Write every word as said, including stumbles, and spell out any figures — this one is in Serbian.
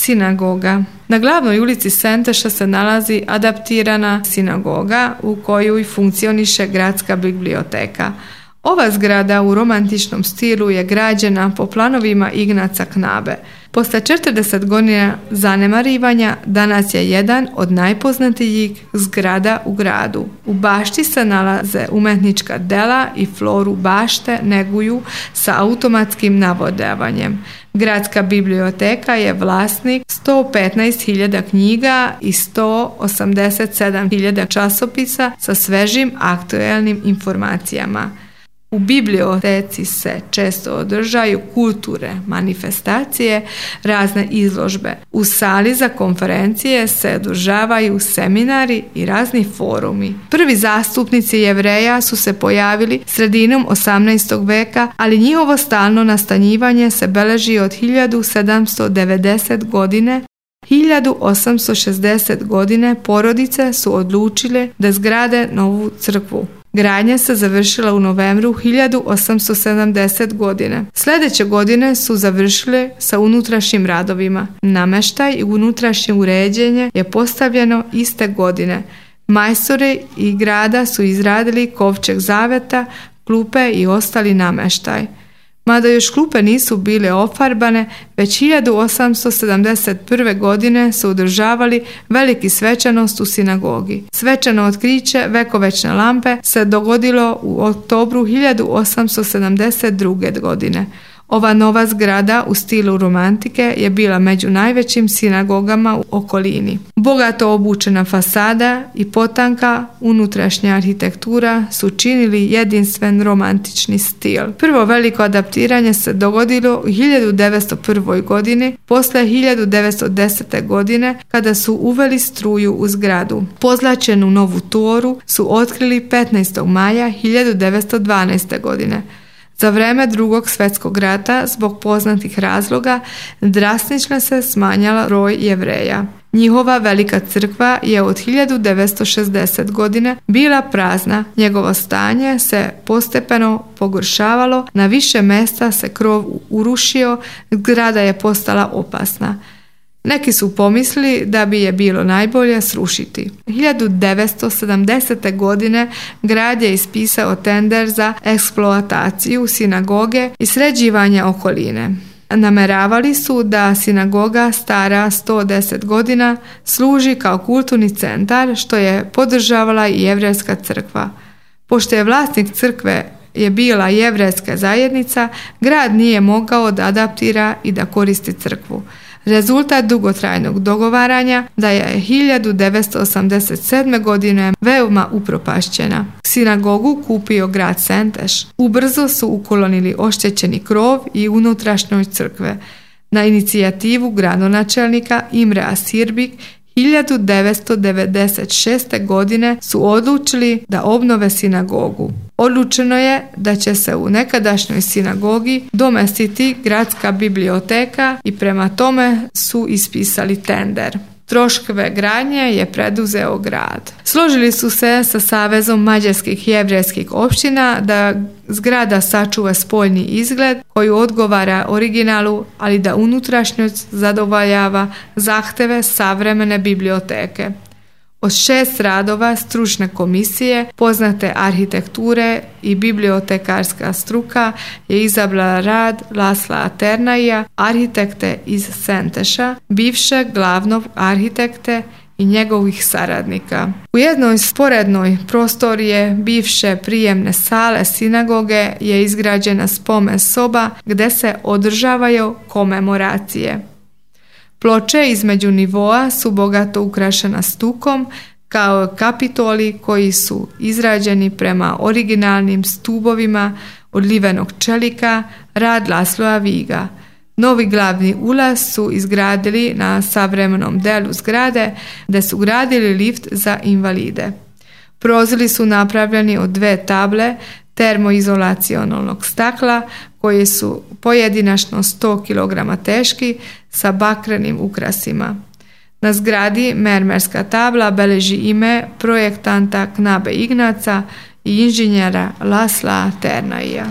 Sinagoga. Na glavnoj ulici Senteša se nalazi adaptirana sinagoga u kojoj funkcioniše gradska biblioteka. Ova zgrada u romantičnom stilu je građena po planovima Ignaca Knabe. Posle četrdeset godina zanemarivanja danas je jedan od najpoznatijih zgrada u gradu. U bašti se nalaze umetnička dela i floru bašte neguju sa automatskim navodavanjem. Gradska biblioteka je vlasnik sto petnaest hiljada knjiga i sto osamdeset sedam hiljada časopisa sa svežim aktuelnim informacijama. U biblioteci se često održaju kulturne manifestacije, razne izložbe. U sali za konferencije se održavaju seminari i razni forumi. Prvi zastupnici Jevreja su se pojavili sredinom osamnaestog veka, ali njihovo stalno nastanjivanje se beleži od hiljadu sedamsto devedeset godine. hiljadu osamsto šezdeset godine porodice su odlučile da zgrade novu crkvu. Gradnja se završila u novembru hiljadu osamsto sedamdeset godine. Sljedeće godine su završile sa unutrašnjim radovima. Namještaj i unutrašnje uređenje je postavljeno iste godine. Majstori i grada su izradili kovčeg zaveta, klupe i ostali namještaj. Mada još klupe nisu bile ofarbane, već hiljadu osamsto sedamdeset prve. godine su održavali veliki svečanost u sinagogi. Svečano otkriće vekovečne lampe se dogodilo u oktobru hiljadu osamsto sedamdeset druge. godine. Ova nova zgrada u stilu romantike je bila među najvećim sinagogama u okolini. Bogato obučena fasada i potanka unutrašnja arhitektura su činili jedinstven romantični stil. Prvo veliko adaptiranje se dogodilo u hiljadu devetsto prvoj. godini, posle hiljadu devetsto desete. godine kada su uveli struju u zgradu. Pozlačenu novu toru su otkrili petnaestog maja hiljadu devetsto dvanaeste. godine. Za vreme Drugog svjetskog rata, zbog poznatih razloga, drastično se smanjala broj Jevreja. Njihova velika crkva je od hiljadu devetsto šezdesete. godine bila prazna. Njegovo stanje se postepeno pogoršavalo, na više mjesta se krov urušio, zgrada je postala opasna. Neki su pomislili da bi je bilo najbolje srušiti. hiljadu devetsto sedamdesete. godine grad je ispisao tender za eksploataciju sinagoge i sređivanje okoline. Nameravali su da sinagoga stara sto deset godina služi kao kulturni centar, što je podržavala i jevrejska crkva. Pošto je vlasnik crkve je bila jevrejska zajednica, grad nije mogao da adaptira i da koristi crkvu. Rezultat dugotrajnog dogovaranja da je hiljadu devetsto osamdeset sedme. godine veoma upropašćena. Sinagogu kupio grad Senteš. Ubrzo su ukolonili oštećeni krov i unutrašnjoj crkve. Na inicijativu gradonačelnika Imrea Sirbik hiljadu devetsto devedeset šeste. godine su odlučili da obnove sinagogu. Odlučeno je da će se u nekadašnjoj sinagogi domestiti gradska biblioteka i prema tome su ispisali tender. Troškove gradnje je preduzeo grad. Složili su se sa Savezom mađarskih jevrejskih opština da zgrada sačuva spoljni izgled koji odgovara originalu, ali da unutrašnjost zadovoljava zahteve savremene biblioteke. Od šest radova stručne komisije, poznate arhitekture i bibliotekarska struka je izabrala rad Lasla Ternaija, arhitekte iz Senteša, bivšeg glavnog arhitekte i njegovih saradnika. U jednoj sporednoj prostorije bivše prijemne sale sinagoge je izgrađena spomen soba gdje se održavaju komemoracije. Ploče između nivoa su bogato ukrašena stukom, kao kapitoli koji su izrađeni prema originalnim stubovima od livenog čelika, rad Lasloa Viga. Novi glavni ulaz su izgradili na savremenom delu zgrade, gdje su gradili lift za invalide. Prozori su napravljeni od dve table termoizolacionalnog stakla koji su pojedinačno sto kilograma teški sa bakrenim ukrasima. Na zgradi mermerska tabla beleži ime projektanta Knabe Ignaca i inženjera Lasla Ternaija.